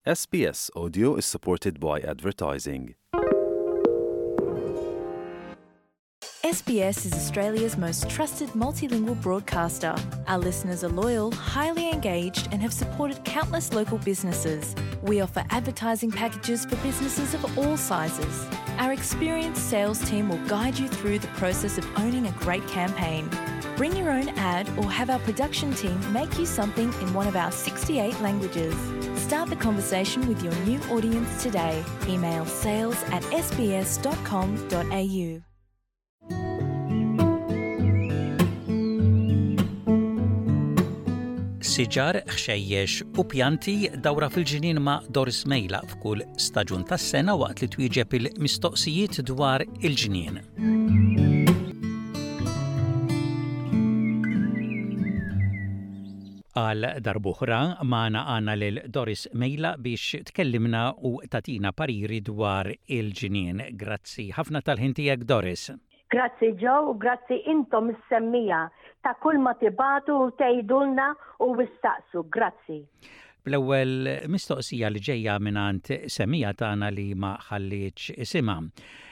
SBS Audio is supported by advertising. SBS is Australia's most trusted multilingual broadcaster. Our listeners are loyal, highly engaged, and have supported countless local businesses. We offer advertising packages for businesses of all sizes. Our experienced sales team will guide you through the process of owning a great campaign. Bring your own ad or have our production team make you something in one of our 68 languages. Start the conversation with your new audience today. Email sales at sbs.com.au. Siġar, ħxejjex u pjanti dawra fil-ġnien ma' Doris Mejla f'kull staġun tas-sena waqt li twieġeb il-mistoqsijiet dwar il-ġnien. Għal darb'oħra magħna għandna lil Doris Mejla biex tkellimna u tagħtina pariri dwar il-ġnien. Grazzi ħafna tal-ħin tiegħek Doris. Grazzi Joe u grazzi intom is-semmiegħa ta' kull ma tibagħtu u tgħidulna u issaqsu. Grazzi. Bl-ewwel mistoqsija li ġejja mingħand semmiegħa tagħna li ma ħallietx isimha.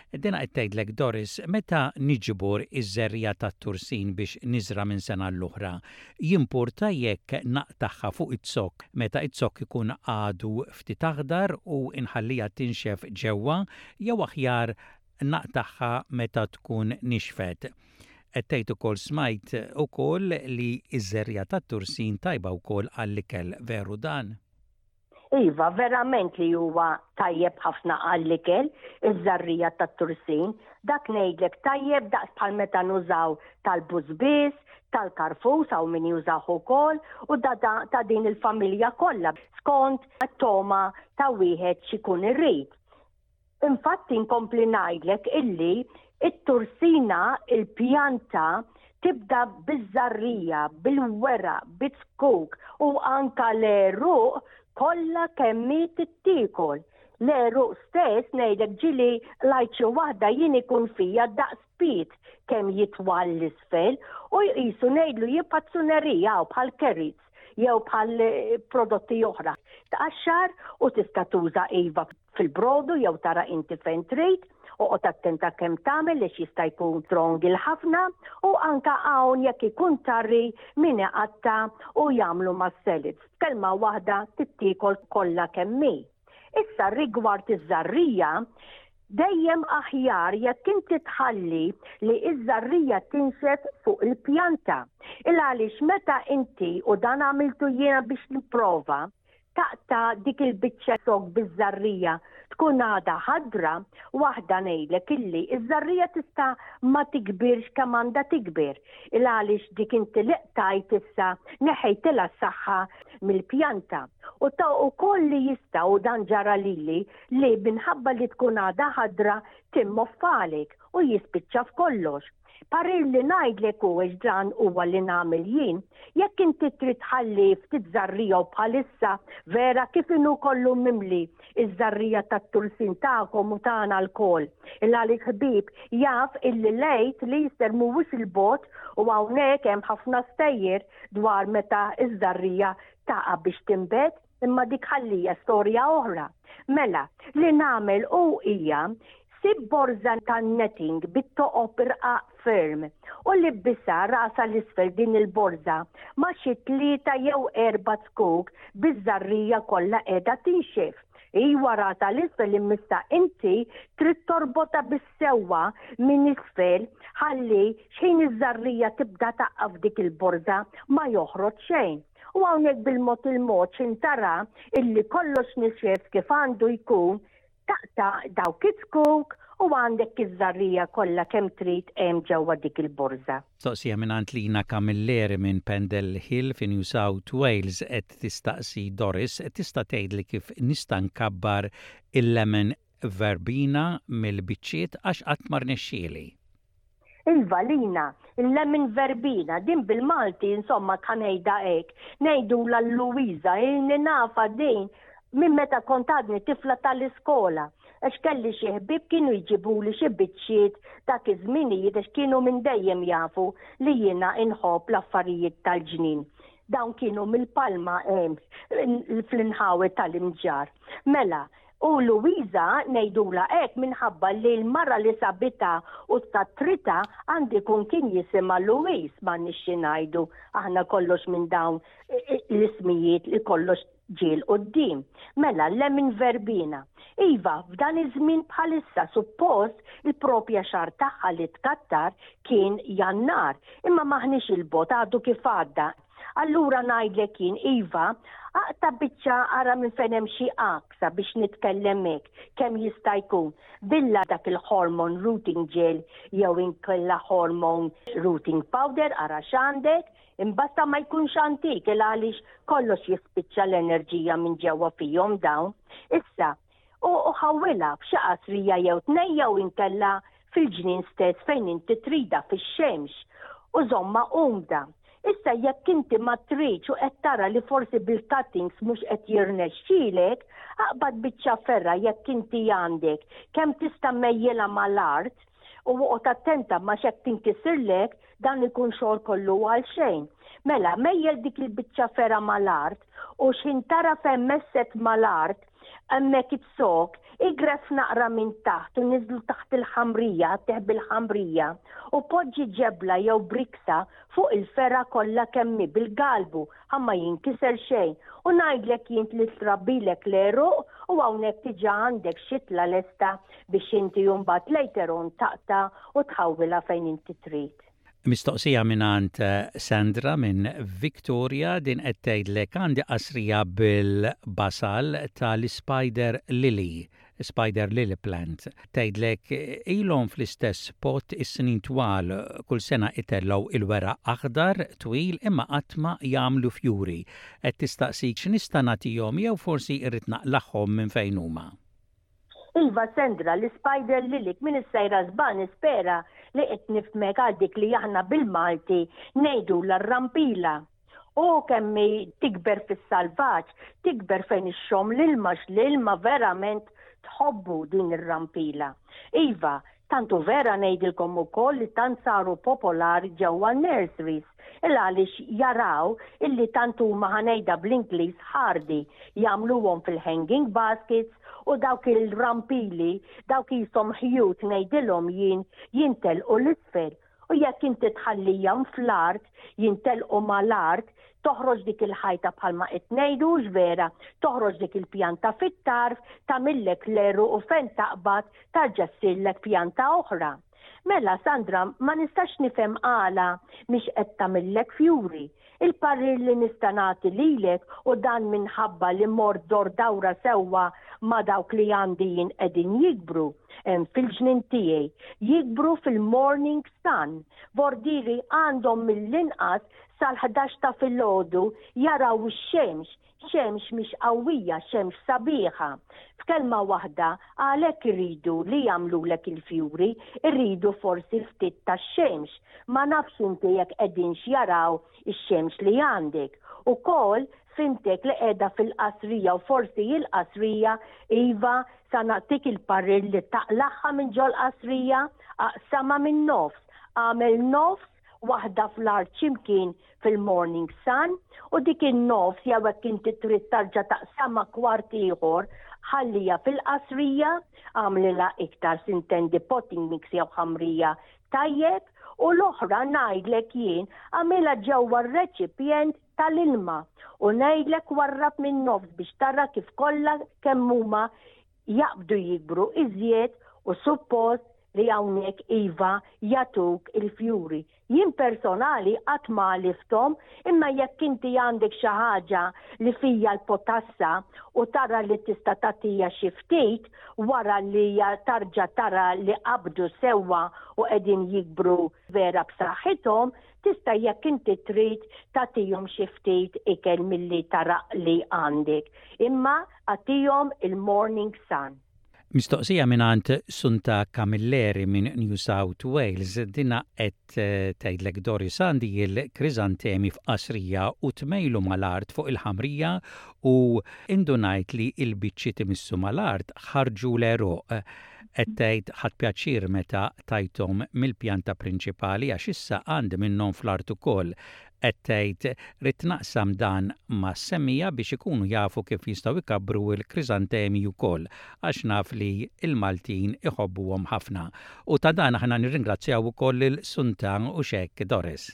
Dina qed tgħidlek Doris, meta niġbor iż-żerriegħa tat-tursin biex niżra' minn sena għall-oħra, jimpurta jekk naqtagħha fuq iz-zokk meta iz-zokk ikun għadu ftit aħdar u nħalliha tinxef ġewwa jew aħjar naqtagħha meta tkun nixfet. Qed tgħid ukoll smajt ukoll li ż-żerriegħa tat-tursin tajba wkoll għall-ikel, veru dan? Iva, verament li huwa tajjeb ħafna għall-ikel, iż-żerriegħa tat-tursin. Dak ngħidlek tajjeb daqs bħal meta nużaw tal-bużbież, tal-karfus hawn min jużah ukoll u da ta' din il-familja kollha skont it-togħma ta' wieħed x'ikun irid. Infatti nkompli ngħidlek illi it-tursina, il-pjanta, tibda biż-żarrija, bil-weraq, biz-zkuk u anka l-għeruq kollha kemm hi tittiekol. L-għeruq stess ngħidlek ġieli qlajt xi waħda jien ikun fija daqs pied kemm jitwal 'l isfel u jqisu ngħidlu jibqa' tsunerija hawn bħal carrots jew bħal prodotti oħra. Tqaxxar u tista' tuża iva fil-brodu jew tara inti fejn trid, oqgħod attenta kemm tagħmel għax jista' jkun strong il-ħafna u anka hawn jekk ikun tarri min iqatta' u jagħmlu mas-salads. F'kelma waħda tittiekol kollha kemm hi. Issa rigward iż-żarrija, dejjem aħjar jekk inti tħalli li iż-żarrija tinxef fuq il-pjanta. Il għaliex meta inti u dan għamiltu jiena biex nipprova, Taqta' dik il-biċċa zokk biż-żarrija tkun għadha ħadra, waħda ngħidlek illi ż-żarrija tista' ma tikbirx kemm għandha tikber, il għaliex dik inti li qtajt issa neħħejtilha s-saħħa mill-pjanta. U ta' ukoll li jista' u dan ġara lili li minħabba li tkun għadha ħadra timmoffalek u jispiċċa f'kollox. Parir li ngħidlek hu għax dan huwa li nagħmel jien, jekk inti trid tħalli ftit żarrija u bħalissa vera kif inhu kollu mimli iż-żarrija tat-tursin tagħkom u tagħna lkoll. Il għaliex ħbieb jaf illi l-Għid l-Easter mhuwiex 'il bogħod u hawnhekk hemm ħafna stejjer dwar meta ż-żarrija taqa' biex tinbet. Imma dik ħallija storja oħra. Mela, li nagħmel hu hija sib borża tan-netting bit-toqob irqaq ferm u libbisha rasha 'l isfel din il-borża ma' xi tlieta jew erba' zkuk biż-żarrija kollha qiegħda tinxef. Iwa rasha 'l isfel imma issa inti trid torbotha bis-sewwa minn isfel ħalli x'ħin iż-żarrija tibda taqa' f'dik il-borża ma joħroġ xejn. U hawnhekk bil-mod il-mod x'in tara illi kollox nixef kif għandu jkun, taqta' dawk iz-zkuk u għandek iż-żarrija kollha kemm trid hemm ġewwa dik il-borża. Mistoqsija mingħand Lina Camilleri minn Pendle Hill fi New South Wales qed tistaqsi Doris, tista' tgħidli kif nista' nkabbar il-lemon verbena mill-biċċiet għax qatt ma rnexxieli? Iva Lina, il-lemon verbena, din bil-Malti insomma ħa ngħidha hekk, ngħidulha l-Luwiża, ilni nafha din minn meta kont għadni tifla tal-iskola, għax kelli xi ħbieb kienu jġibuli xi biċċiet dak iż-żminijiet għax kienu minn dejjem jafu li jiena inħobb l-affarijiet tal-ġnien. Dawn kienu mill-Palma fl-inħawi tal-Imġarr. Mela, u Luisa ngħidulha hekk minħabba li l-mara li sabitha u tkatritha għandu jkun kien jisimha Louise, m'għandniex xi ngħidu aħna kollox minn dawn l-ismijiet li kollox ġie 'l quddiem. Mela, lemon verbena. Iva, f'dan iż-żmien bħalissa suppost il-propja xahar tagħha li tkattar kien Jannar, imma m'aħniex 'il bogħod għadu kif għadda. Allura ngħidlek jien, iva, aqta' biċċa ara minn fejn hemm xi għaksa biex nitkellem hekk, kemm jista' jkun, billa dak il-hormone rooting gel jew inkella hormone rooting powder ara x'għandek, Imbasta ma jkunx antik il għaliex kollox jispiċċa l-enerġija minn ġewwa fihom dawn. Issa, u ħawwilha f'xi qasrija jew tnejn jew inkella fil-ġnien stess fejn inti tridha fix-xemx u żommha umda. Issa jekk inti ma tridx u qed tara li forsi bil-cuttings mhux qed jirnexxielek, aqbad biċċa ferra jekk inti għandek kemm tista' mejjilha mal-art u oqgħod attenta ma x'hekk tinkisirlek Dan ikun xogħol kollu għal xejn. Mela, mejjel dik il-biċċa fergħa mal-art u x'ħin tara fejn messet mal-art, hemmhekk iz-zokk, igref naqra minn taħt u niżlu taħt il-ħamrija, għattih bil-ħamrija, u poġġi ġebla jew briksa fuq il-fergħa kollha kemm hi bil-galbu ħa ma jinkiser xejn. U ngħidlek jien li trabbilek l-għeruq u hawnhekk diġà għandek xitla lesta biex inti mbagħad later on taqta' u tħawwilha fejn inti trid. Mistoqsija mingħand Sandra minn Victoria, din qed tgħidlek għandi qasrija bil-basal tal-ispider lily, spider lily plant. Tgħidlek ilhom fl-istess pot is-snin twal, kull sena itellgħu il-weraq aħdar twil imma qatt ma jagħmlu fjuri. Qed tistaqsik x'nista' nagħtihom jew forsi rrid naqlagħhom minn fejn huma. Iva Sandra, l-ispider lilek min issejra żball nispera li qed nifhmek għal dik li aħna bil-Malti ngħidulha r-rampila. U kemm hi tikber fis-salvaġġ, tikber fejn ixxomm l-ilma x'l-ilma verament tħobbu din ir-rampila. Iva, Tant hu vera ngħidilkom ukoll li tant saru popolari ġewwa n-nurseries il għaliex jaraw illi tant huma ħa ngħidha bl-Ingliż hardy jagħmluhom fil-hanging baskets u dawk il-rampili dawk qishom ħjut ngħidilhom jien jintelqu 'l isfel U jekk inti tħallihom fl-art, jintelqu mal-art, toħroġ dik il-ħajta bħalma qed ngħidu, hux vera, toħroġ dik il-pjanta fit-tarf, tagħmillek l-għeruq u fejn taqbad tarġa' ssirlek pjanta oħra. Mela, Sandra, ma nistax nifhem għala mhix qed tagħmillek fjuri. Il-parir li nista' nagħti lilek, u dan minħabba li mort dor dawra sewwa ma' dawk li għandi jien qegħdin jikbru hemm fil-ġnien tiegħi, jikbru fil-morning sun, vordieri għandhom mill-inqas sal-ħdax ta' filgħodu jaraw ix-xemx, xemx mhix qawwija, xemx sabiħa. F'kelma waħda, għalhekk iridu li jagħmlulek il-fjuri, iridu forsi ftit tax-xemx. Ma nafx inti jekk qegħdinx jaraw ix-xemx li għandek. Ukoll, fhimtek li qiegħda fil-qasrija u forsi hi l-qasrija, iva, sa nagħtik il-parir li taqlagħha minn ġol-qasrija, aqsamha min-nofs, agħmel nofs waħda fl-art x'imkien fil-morning sun u dik in-nofs jew hekk inti trid tarġa' taqsamha kwart ieħor ħalliha fil-qasrija, agħmlilha iktar sintendi potting mix jew ħamrija tajjeb u l-oħra ngħidlek jien agħmilha ġewwa r-reċipjent tal-ilma u ngħidlek warrab min-nofs biex tara kif kollha kemm huma jaqbdu jikbru iżjed u suppost li hawnhekk iva jagħtuk il-fjuri. Jien personali qatt ma għalifthom imma jekk inti għandek xi ħaġa li fija l-potassa u tara li tista' tagħtiha xi ftit wara li tarġa' tara li qabdu sewwa u qegħdin jikbru vera b'saħħithom, tista' jekk inti trid tagħtihom xi ftit ikel milli tara li għandek. Imma agħtihom il-morning sun. Mistoqsija mingħand Sunta Camilleri minn New South Wales, dinha qed tgħidlek Doris għandi l-kriżantemi f'qasrija u tmejlu mal-art fuq il-ħamrija u indunajt li l-biċċiet imissu mal-art ħarġu l-għeruq. Qed tgħid ħadt pjaċir meta tajthom mill-pjanta prinċipali għax issa għandi minnhom fl-art ukoll. Qed tgħid ridt naqsam dan mas-semmiegħa biex ikunu jafu kif jistgħu jkabbru l-kriżantemi wkoll għax naf li l-Maltin iħobbuhom ħafna. U ta' dan aħna nirringrazzjaw ukoll lil Sunta u x'hekk Doris.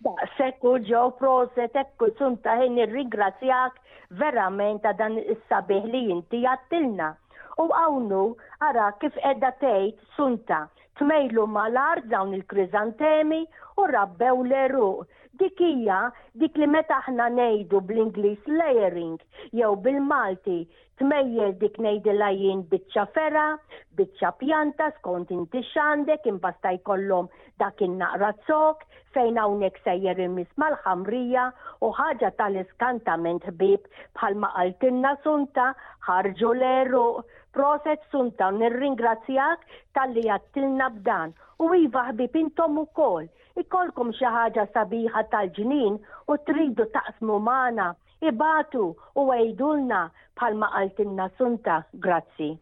Daqshekk u Joe proset hekk u Sunta ħin nirringrazzjak verament ta' dan is-sabiħ li inti għadtilna. U hawn hu ara kif qiegħda tgħid Sunta Tmejlu mal-art dawn il-kriżantemi u rabbew l-għeruq. Dik hija dik li meta aħna ngħidu bl-Ingliż layering jew bil-Malti tmejjel dik ngħidilha jien biċċa fergħa, biċċa pjanta skont inti x'għandek imbasta jkollhom dak in-naqra zokk fejn hawnhekk sejjer imiss mal-ħamrija u ħaġa tal-iskantament ħbieb bħalma qaltilna Sunta ħarġu l-għeruq Proset Sunta nirringrazzjak talli għadtilna b'dan. U iva ħbieb intom ukoll, ikollkom xi ħaġa sabiħa tal-ġnien u tridu taqsmu magħna, ibagħtu u għidulna bħalma qaltilna Sunta. Grazzi.